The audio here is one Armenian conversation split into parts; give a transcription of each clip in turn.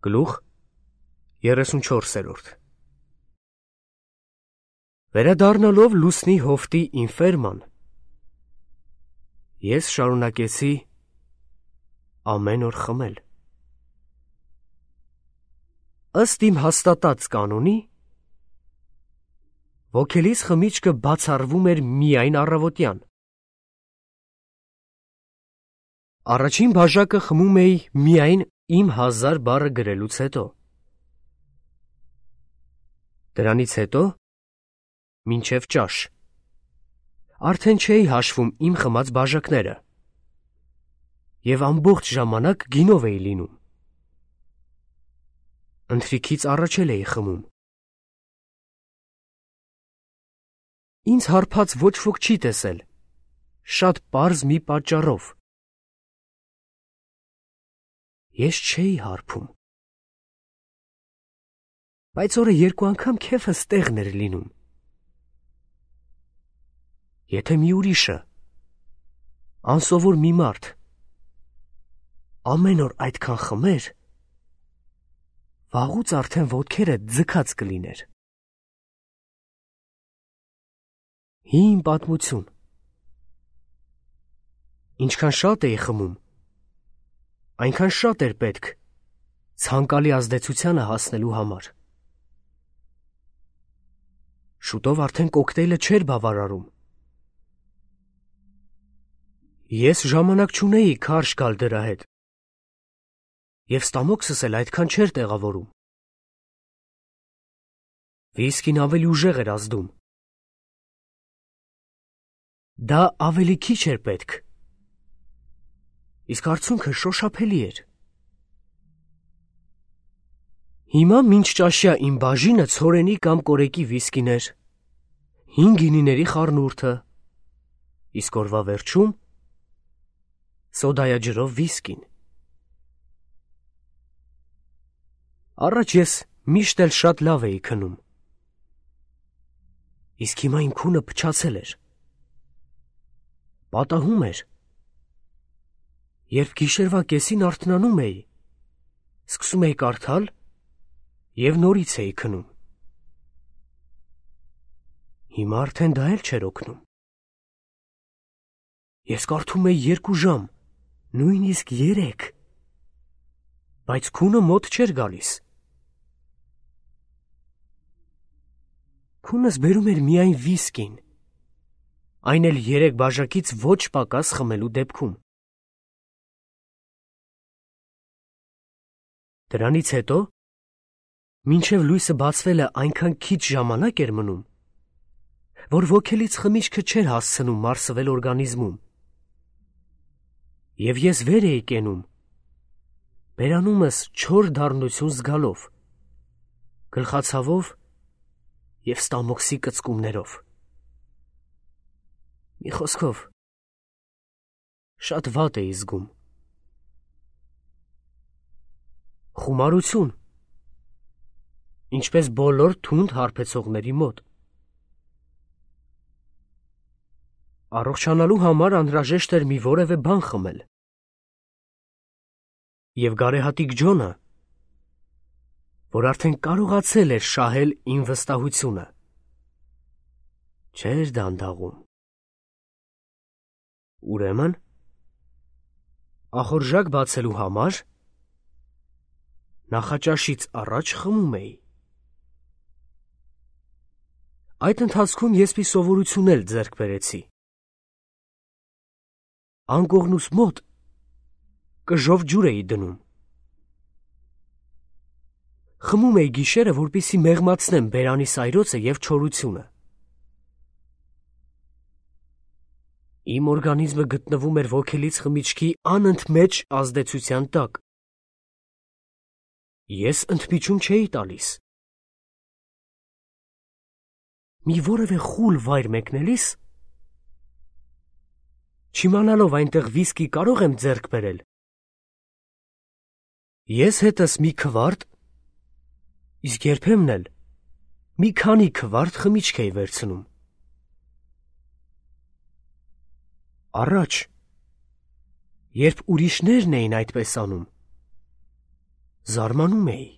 Գլուխ 34. Վերադառնալով լուսնի հովտի ինֆերման, ես շարունակեցի ամեն օր խմել։ Ըստ իմ հաստատած կանոնի, ոգելից խմիչքը բացառվում էր միայն առավոտյան։ Առաջին բաժակը խմում էի միայն իմ 1000 բառը գրելուց հետո։ Դրանից հետո մինչև ճաշ։ Արդեն չէի հաշվում իմ խմած բաժակները և ամբողջ ժամանակ գինով էի լինում։ Ընթրիքից առաջ էլ էի խմում։ Ինձ հարբած ոչ ոք չի տեսել, շատ պարզ մի պատճառով։ Ես չէի հարբում։ Բայց օրը 2 անգամ քեֆս տեղն էր լինում։ Եթե մի ուրիշը, անսովոր մի մարդ, ամեն օր այդքան խմեր, վաղուց արդեն ոտքերը ձգած կլիներ։ Հին պատմություն։ Ինչքան շատ էի խմում, այնքան շատ էր պետք ցանկալի ազդեցությանը հասնելու համար։ Շուտով արդեն կոկտեյլը չէր բավարարում։ Ես ժամանակ չունեի քարշ գալ դրա հետ, և ստամոքսս էլ այդքան չէր տեղավորում։ Վիսկին ավելի ուժեղ էր ազդում։ Դա ավելի քիչ էր պետք, իսկ արդյունքը շոշափելի էր։ Հիմա մինչ ճաշյա իմ բաժինը ցորենի կամ կորեկի վիսկին էր, 5 գինիների խառնուրդը, իսկ օրվա վերջում սոդայաջրով վիսկին։ Առաջ ես միշտ էլ շատ լավ էի քնում, իսկ հիմա իմ քունը փչացել էր։ Պատահում էր, երբ գիշերվա կեսին արթնանում էի, սկսում էի կարդալ և նորից էի քնում։ Հիմա արդեն դա էլ չէր օգնում։ Ես կարդում էի 2 ժամ, նույնիսկ 3, բայց քունը մոտ չէր գալիս։ Քունս բերում էր միայն վիսկին, այն էլ 3 բաժակից ոչ պակաս խմելու դեպքում։ Դրանից հետո, մինչև լույսը բացվելը այնքան քիչ ժամանակ էր մնում, որ ոգելից խմիչքը չէր հասցնում մարսվել օրգանիզմում, և ես վեր էի կենում, բերանումս չոր դառնություն զգալով, գլխացավով և ստամոքսի կծկումներով։ Մի խոսքով, շատ վատ էի զգում։ Խումարություն, ինչպես բոլոր թունդ հարբեցողների մոտ։ Առողջանալու համար անհրաժեշտ էր մի որևէ բան խմել։ Եվ գարեհատիկ Ջոնը, որ արդեն կարողացել էր շահել իմ վստահությունը, չէր դանդաղում։ Ուրեմն, ախորժակ բացելու համար նախաճաշից առաջ խմում էի։ Այդ ընթացքում ես մի սովորություն էլ ձեռք բերեցի։ Անկողնուս մոտ կժով ջուր էի դնում։ Խմում էի գիշերը, որպեսզի մեղմացնեմ բերանի սայրոցը և չորությունը։ Իմ օրգանիզմը գտնվում էր ոգելից խմիչքի անընդմեջ ազդեցության տակ։ Ես ընդմիջում չէի տալիս։ Մի որևէ խուլ վայր մեկնելիս, չիմանալով այնտեղ վիսկի կարող եմ ձեռք բերել, ես հետս մի քվարտ, իսկ երբեմն էլ մի քանի քվարտ խմիչք էի վերցնում։ Առաջ, երբ ուրիշներն էին այդպես անում, զարմանում էի։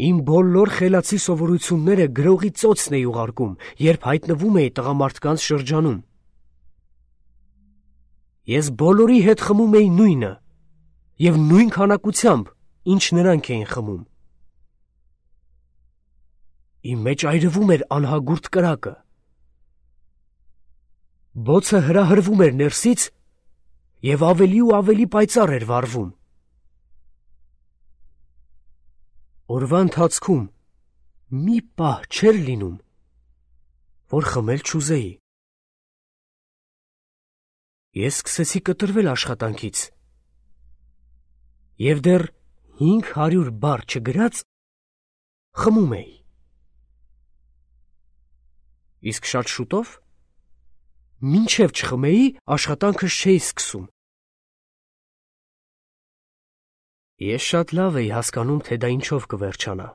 Իմ բոլոր խելացի սովորությունները գրողի ծոցն էի ուղարկում, երբ հայտնվում էի տղամարդկանց շրջանում։ Ես բոլորի հետ խմում էի նույնը և նույն քանակությամբ, ինչ նրանք էին խմում։ Իմ մեջ այրվում էր անհագուրդ կրակը։ Բոցը հրահրվում էր ներսից և ավելի ու ավելի պայծառ էր վառվում։ Օրվա ընթացքում մի պահ չէր լինում, որ խմել չուզեի։ Ես սկսեցի կտրվել աշխատանքից և դեռ 500 բառ չգրած խմում էի։ Իսկ շատ շուտով, մինչև չխմեի, աշխատանքս չէի սկսում։ Ես շատ լավ էի հասկանում, թե դա ինչով կվերջանա։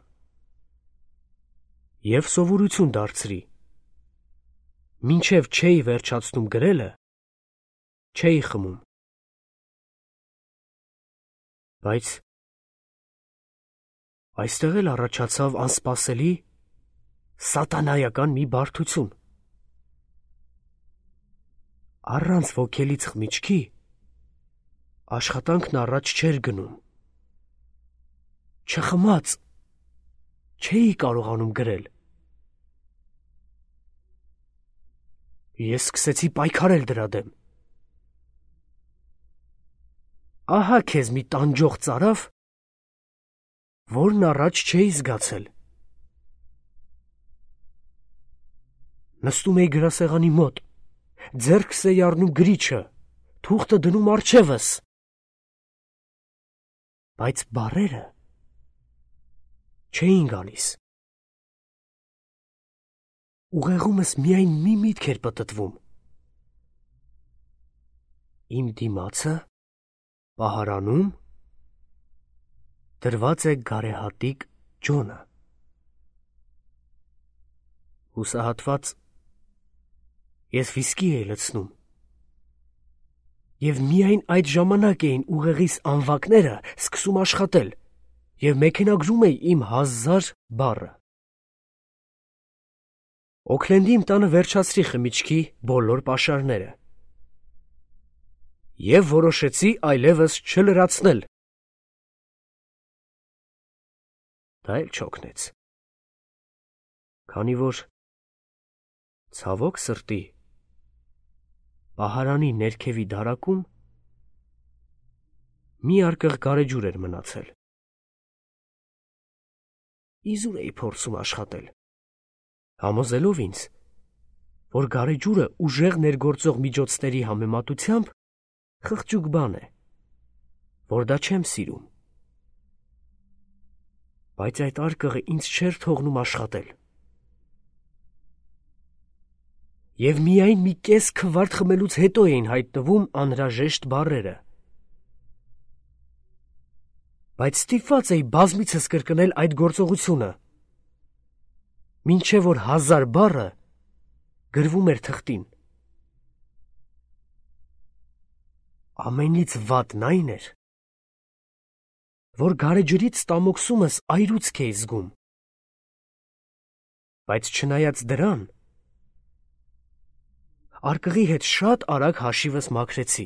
Եվ սովորություն դարձրի. մինչև չէի վերջացնում գրելը, չէի խմում։ Բայց այստեղ էլ առաջացավ անսպասելի, սատանայական մի բարդություն։ Առանց ոգելից խմիչքի աշխատանքն առաջ չէր գնում։ Չխմած չէի կարողանում գրել։ Ես սկսեցի պայքարել դրա դեմ։ Ահա քեզ մի տանջող ծարավ, որն առաջ չէի զգացել։ Նստում էի գրասեղանի մոտ, ձեռքս էի առնում գրիչը, թուղթը դնում առջևս։ Բայց բառերը չէին գալիս։ Ուղեղումս միայն մի միտք էր պտտվում. իմ դիմացը պահարանում դրված է գարեհատիկ Ջոնը։ Հուսահատված ես վիսկի էի լցնում, և միայն այդ ժամանակ էին ուղեղիս անվակները սկսում աշխատել, և մեքենագրում էի իմ 1000 բառը։ Օքլենդի իմ տանը վերջացրի խմիչքի բոլոր պաշարները և որոշեցի այլևս չլրացնել։ Դա էլ չօգնեց, քանի որ ցավոք սրտի պահարանի ներքևի դարակում մի արկղ գարեջուր էր մնացել։ Իզուր էի փորձում աշխատել, համոզելով ինձ, որ գարեջուրը ուժեղ ներգործող միջոցների համեմատությամբ խղճուկ բան է, որ դա չեմ սիրում։ Բայց այդ արկղը ինձ չէր թողնում աշխատել։ Եվ միայն մի կես քվարտ խմելուց հետո էին հայտնվում անհրաժեշտ բառերը։ Բայց ստիպված էի բազմիցս կրկնել այդ գործողությունը, մինչև որ 1000 բառը գրվում էր թղթին։ Ամենից վատն այն էր, որ գարեջրից ստամոքսումս այրուցք էի զգում։ Բայց չնայած դրան, արկղի հետ շատ արագ հաշիվս մաքրեցի։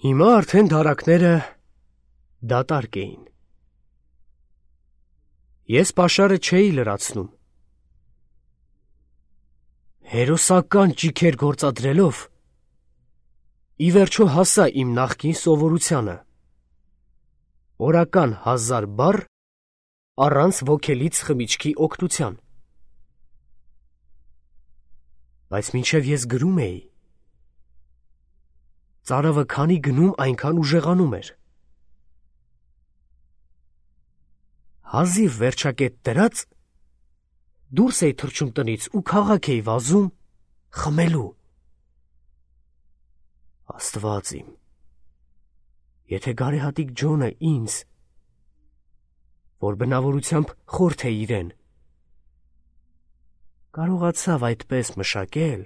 Հիմա արդեն դարակները դատարկ էին։ Ես պաշարը չէի լրացնում։ Հերոսական ճիգեր գործադրելով, ի վերջո հասա իմ նախկին սովորությանը. օրական 1000 բառ առանց ոգելից խմիչքի օգնության։ Բայց մինչև ես գրում էի, ծարավը քանի գնում, այնքան ուժեղանում էր։ Հազիվ վերջակետ դրած, դուրս էի թռչում տնից ու քաղաք էի վազում խմելու։ Աստված իմ, եթե գարեհատիկ Ջոնը ինձ, որ բնավորությամբ խորթ է իրեն, կարողացավ այդպես մշակել,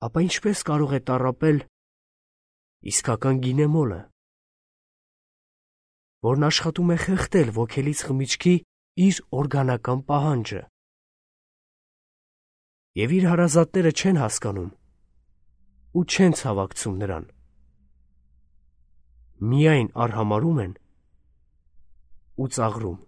ապա ինչպես կարող է տառապել իսկական գինեմոլը, որն աշխատում է խեղդել ոգելից խմիչքի իր օրգանական պահանջը։ Եվ իր հարազատները չեն հասկանում ու չեն ցավակցում նրան, միայն արհամարհում են ու ծաղրում։